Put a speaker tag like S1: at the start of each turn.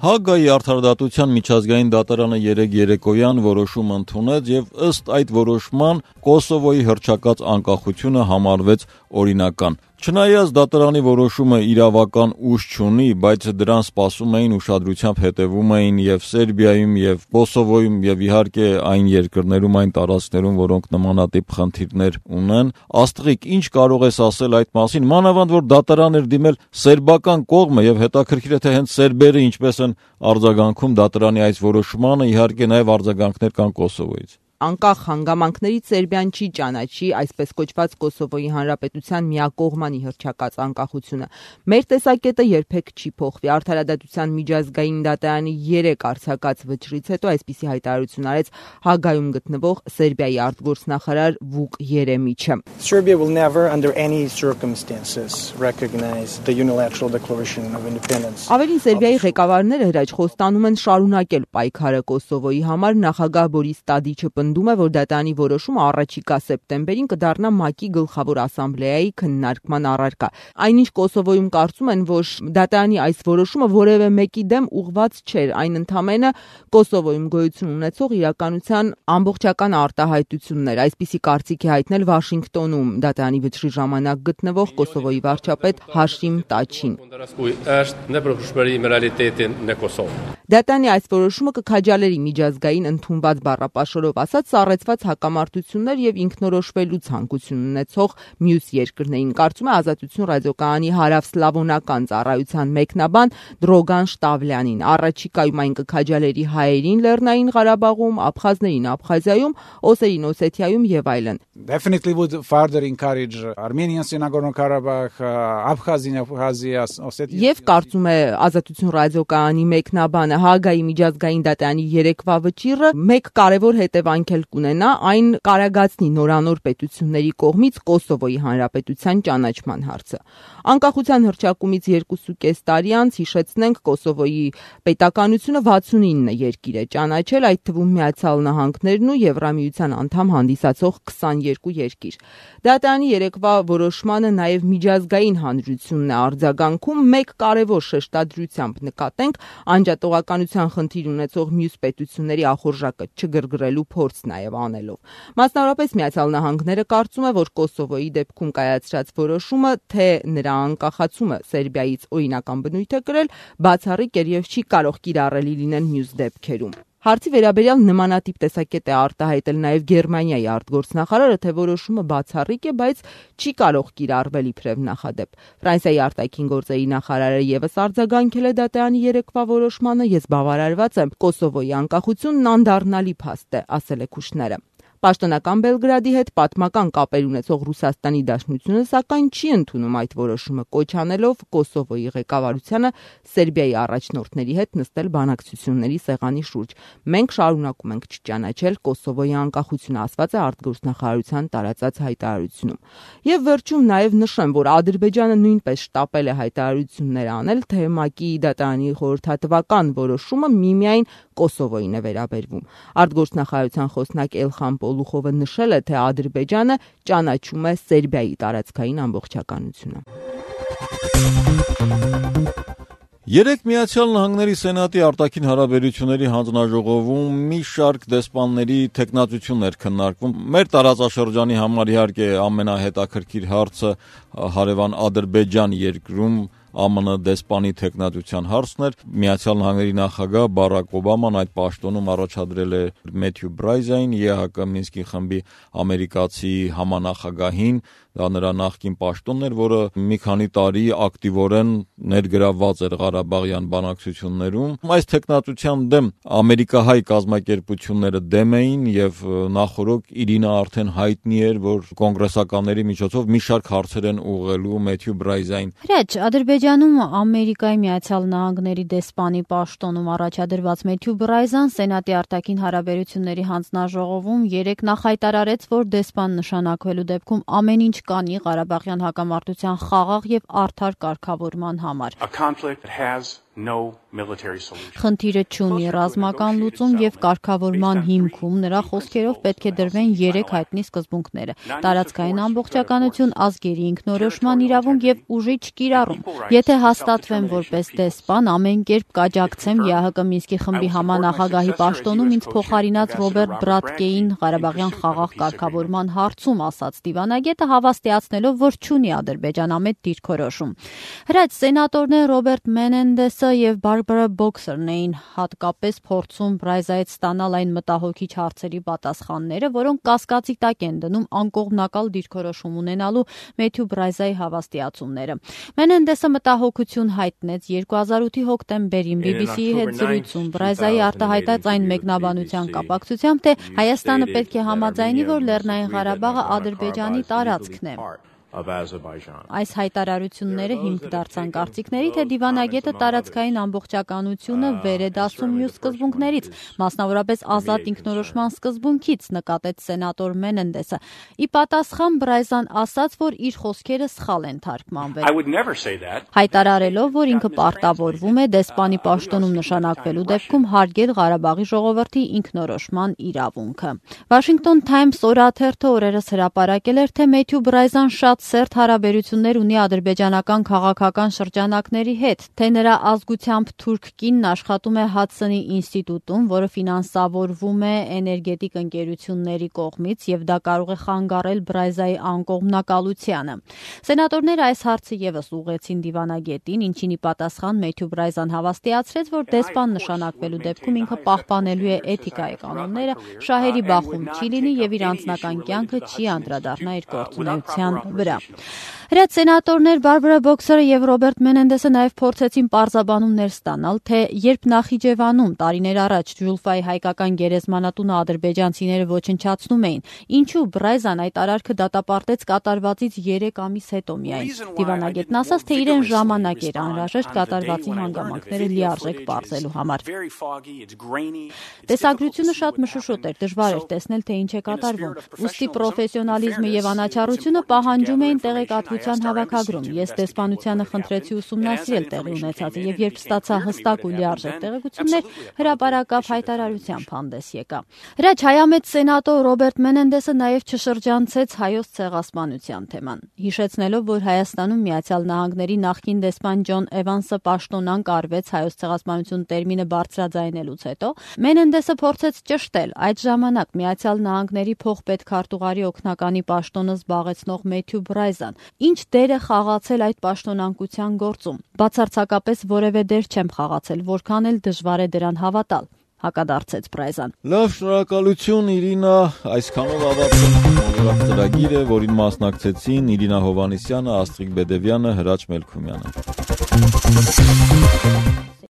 S1: Հաագայի արդարադատության միջազգային դատարանը երեկ երեկոյան որոշում ընդունեց եւ ըստ այդ որոշման Կոսովոյի հռչակած անկախությունը համարվեց օրինական։ Չնայած դատարանի որոշումը իրավական ուժ չունի, բայց դրան սպասում էին, ուշադրությամբ հետևում էին եւ Սերբիայում եւ Կոսովոյում եւ իհարկե այն երկրներում, այն տարածքներում, որոնք նմանատիպ խնդիրներ ունեն, Աստղիկ, ինչ կարող ես ասել այդ մասին, մանավանդ որ դատարան էր դիմել սերբական կողմը եւ հետաքրքիր է թե հենց սերբերը ինչպես են արձագանքում դատարանի այս որոշմանը, իհարկե նաեւ արձագանքներ կան Կոսովոյից։
S2: Անկախ հանգամանքներից Սերբիան չի ճանաչի այսպես կոչված Կոսովոյի հանրապետության միակողմանի հռչակած անկախությունը։ Մեր տեսակետը երբեք չի փոխվի։ Արդարադատության միջազգային դատարանի 3 արձակած վճռից հետո այսպիսի հայտարարություն արեց Հագայում գտնվող Սերբիայի արտգործնախարար Վուկ Երեմիչը։
S3: Serbia will never under any circumstances recognize the unilateral declaration of independence.
S2: Ավելին Սերբիայի ղեկավարները հրաչ խոստանում են շարունակել պայքարը Կոսովոյի համար նախագահ Բորիս Տադիչը պնդում է, որ դատարանի որոշումը առաջիկա սեպտեմբերին կդառնա ՄԱԿ-ի գլխավոր ասամբլեայի քննարկման առարկա։ Այնինչ Կոսովոյում կարծում են, որ դատարանի այս որոշումը որևէ մեկի դեմ ուղղված չէր, այն ընդամենը Կոսովոյում գոյություն ունեցող իրականության ամբողջական արտահայտությունն էր։ Այսպիսի կարծիք է հայտնել Վաշինգտոնում դատարանի վճռի ժամանակ գտնվող Կոսովոյի վարչապետ Հաշիմ Տաչին։ Դատարանի այս որոշումը կքաջալերի միջազգային ընդունված բառապաշարով ասած սառեցված հակամարտություններ եւ ինքնորոշվելու ցանկություն ունեցող մյուս երկրներին, կարծում է Ազատություն ռադիոկայանի հարավսլավոնական ծառայության մեկնաբան Դրոգան Շտավլյանին։ Առաջիկայում այն կքաջալերի հայերին Լեռնային Ղարաբաղում, աբխազներին Աբխազիայում, օսերին Օսեթիայում եւ այլն։
S4: Definitely would further encourage Armenians in Nagorno-Karabakh, Abkhazia, Ossetia.
S2: Եվ կարծում է Ազատություն ռադիոկայանի մեկնաբանը Հաագայի միջազգային դատարանի 3-վա վճիռը մեկ կարևոր հետևանք էլ կունենա, այն կարագացնի նորանոր պետությունների կողմից Կոսովոյի հանրապետության ճանաչման հարցը։ Անկախության հռչակումից 2.5 տարի անց հիշեցնենք Կոսովոյի պետականությունը 69 երկիր է ճանաչել, այդ թվում Միացյալ Նահանգներն ու Եվրամիության անդամ հանդիսացող 22 երկիր։ Դատարանի 3-վա որոշմանը նաև միջազգային հանրությունն է արձագանքում, մեկ կարևոր շեշտադրությամբ նկատենք անջատողականության խնդիր ունեցող մյուս պետությունների ախորժակը չգրգռելու փորձ նաև անելով։ Մասնավորապես Միացյալ Նահանգները կարծում է, որ Կոսովոյի դեպքում կայացրած որոշումը, թե նրա անկախացումը Սերբիայից օրինական բնույթ է կրել, բացառիկ էր եւ չի կարող կիրառելի լինել մյուս դեպքերում։ Հարցի վերաբերյալ նմանատիպ տեսակետ է արտահայտել նաև Գերմանիայի արտգործնախարարը, թե որոշումը բացառիկ է, բայց չի կարող կիրառվել իբրև նախադեպ։ Ֆրանսիայի արտաքին գործերի նախարարը եւս արձագանքել է դատարանի 3-վա որոշմանը, ես բավարարված եմ, Կոսովոյի անկախությունն անդառնալի փաստ է, ասել է Քուշները։ Պաշտոնական Բելգրադի հետ պատմական կապեր ունեցող Ռուսաստանի Դաշնությունը սակայն չի ընդունում այդ որոշումը, կոչ անելով Կոսովոյի ղեկավարությանը Սերբիայի առաջնորդների հետ նստել բանակցությունների սեղանի շուրջ։ Մենք շարունակում ենք չճանաչել Կոսովոյի անկախությունը, ասված է արտգործնախարարության տարածած հայտարարությունում։ Եվ վերջում նաև նշեմ, որ Ադրբեջանը նույնպես շտապել է հայտարարություններ անել, թե ՄԱԿ-ի դատարանի խորհրդատվական որոշումը միմիայն Կոսովոյին է վերաբերվում։ Արտգործնախարարության խոսնակ Էլխան Պոլուխովը նշել է, թե Ադրբեջանը ճանաչում է Սերբիայի տարածքային ամբողջականությունը։
S1: Երեկ Միացյալ Նահանգների Սենատի արտաքին հարաբերությունների հանձնաժողովում մի շարք դեսպանների թեկնածություններ քննարկվում։ Մեր տարածաշրջանի համար իհարկե ամենահետաքրքիր հարցը հարևան Ադրբեջան երկրում ԱՄՆ դեսպանի թեկնածության հարցն էր։ Միացյալ Նահանգների նախագահ Բարակ Օբաման այդ պաշտոնում առաջադրել է Մեթյու Բրայզային, ԵՀԿ Մինսկի խմբի ամերիկացի համանախագահին, դա նրա նախկին պաշտոնն էր, որը մի քանի տարի ակտիվորեն ներգրավված էր Ղարաբաղյան բանակցություններում։ Այս թեկնածության դեմ ամերիկահայ կազմակերպությունները դեմ էին եւ նախորդ Իրինա արդեն հայտնի էր, որ կոնգրեսականների միջոցով մի շարք հարցեր են ուղղելու Մեթյու Բրայզային։
S5: Հրաչ, Ադրբեջանում Ամերիկայի Միացյալ Նահանգների դեսպանի պաշտոնում առաջադրված Մեթյու Բրայզան Սենատի արտաքին հարաբերությունների հանձնաժողովում երեկ նախայտարարեց, որ դեսպան նշանակվելու դեպքում ամեն ինչ կանի Ղարաբաղյան հակամարտության խաղաղ եւ արդար կարգավորման համար։ Խնդիրը չունի ռազմական լուծում եւ կարգավորման հիմքում նրա խոսքերով պետք է դրվեն 3 հայտնի սկզբունքները՝ տարածքային ամբողջականություն, ազգերի ինքնորոշման իրավունք եւ ուժի չկիրառում։ Եթե հաստատվեմ որպես դեսպան, ամեն կերպ կաջակցեմ ԵԱՀԿ Մինսկի խմբի համանախագահի պաշտոնում ինձ փոխարինած Ռոբերտ Բրատկեին Ղարաբաղյան խաղաղ կարգավորման հարցում, ասաց դիվանագետը, հավաստիացնելով, որ չունի ադրբեջանամետ դիրքորոշում։ Հրաչ սենատորներ Ռոբերտ Մենենդեսը եւ Բարբարա Բոքսերն էին հատկապես փորձում Բրայզայից ստանալ այն մտահոգիչ հարցերի պատասխանները, որոնք կասկածի տակ են դնում անկողմնակալ դիրքորոշում ունենալու Մեթյու Բրայզայի հավաստիացումները։ Մենենդեսը մտահոգություն հայտնեց 2008-ի հոկտեմբերին BBC-ի հետ զրույցում Բրայզայի արտահայտած այն մեկնաբանության կապակցությամբ, թե Հայաստանը պետք է համաձայնի, որ Լեռնային Ղարաբաղը Ադրբեջանի տարածքն է։ Այս հայտարարությունները հիմք դարձան կարծիքների, թե դիվանագետը տարածքային ամբողջականությունը վեր է դասում մյուս սկզբունքներից, մասնավորապես ազատ ինքնորոշման սկզբունքից, նկատեց սենատոր Մենենդեսը։ Ի պատասխան Բրայզան ասաց, որ իր խոսքերը սխալ են թարգմանվել։ Հայտարարելով, որ ինքը պարտավորվում է դեսպանի պաշտոնում նշանակվելու դեպքում հարգել Ղարաբաղի ժողովրդի ինքնորոշման իրավունքը։ Washington Times օրաթերթը օրերս հրապարակել էր, թե Մեթյու Բրայզան շատ սերտ հարաբերություններ ունի ադրբեջանական քաղաքական շրջանակների հետ, թե նրա ազգությամբ թուրք կինն աշխատում է Հադսոնի ինստիտուտում, որը ֆինանսավորվում է էներգետիկ ընկերությունների կողմից եւ դա կարող է խանգարել Բրայզայի անկողմնակալությանը։ Սենատորները այս հարցը եւս ուղղեցին դիվանագետին, ինչին ի պատասխան Մեթյու Բրայզան հավաստիացրեց, որ դեսպան նշանակվելու դեպքում ինքը պահպանելու է էթիկայի կանոնները, շահերի բախում չի լինի եւ իր անձնական կյանքը չի անդրադառնա իր գործունեության վրա։ Հրաչ սենատորներ Բարբարա Բոքսերը եւ Ռոբերտ Մենենդեսը նաեւ փորձեցին պարզաբանումներ ստանալ, թե երբ Նախիջևանում տարիներ առաջ Ջուլֆայի հայկական գերեզմանատունը ադրբեջանցիները ոչնչացնում էին, ինչու Բրայզան այդ արարքը դատապարտեց կատարվածից 3 ամիս հետո միայն։ Դիվանագետն ասաց, թե իրեն ժամանակ էր անհրաժեշտ կատարվածի հանգամանքները լիարժեք պարզելու համար։ Տեսագրությունը շատ մշուշոտ էր, դժվար էր տեսնել, թե ինչ է կատարվում։ Ուստի պրոֆեսիոնալիզմը եւ անաչառությունը պահանջում էին տեղեկատվության հավաքագրում։ Ես դեսպանությանը խնդրեցի ուսումնասիրել տեղի ունեցածը եւ երբ ստացա հստակ ու լիարժեք տեղեկություններ, հրապարակավ հայտարարությամբ հանդես եկա։ Հրաչ հայամետ սենատոր Ռոբերտ Մենենդեսը նաեւ չշրջանցեց հայոց ցեղասպանության թեման, հիշեցնելով, որ Հայաստանում Միացյալ Նահանգների նախկին դեսպան Ջոն Էվանսը պաշտոնանկ արվեց հայոց ցեղասպանություն տերմինը բարձրաձայնելուց հետո, Մենենդեսը փորձեց ճշտել այդ ժամանակ Միացյալ Նահանգների փոխպետքարտուղարի օգնականի պաշտոնը զբաղեցնող Մեթյու Բրայզան, ինչ դեր է խաղացել այդ պաշտոնանկության գործում։ Բացարձակապես որևէ դեր չեմ խաղացել, որքան էլ դժվար է դրան հավատալ, հակադարձեց Բրայզան։
S1: Լավ, շնորհակալություն Իրինա, այսքանով ավարտենք ծրագիրը, որին մասնակցեցին Իրինա Հովհաննիսյանը, Աստղիկ Բեդևյանը, Հրաչ Մելքումյանը։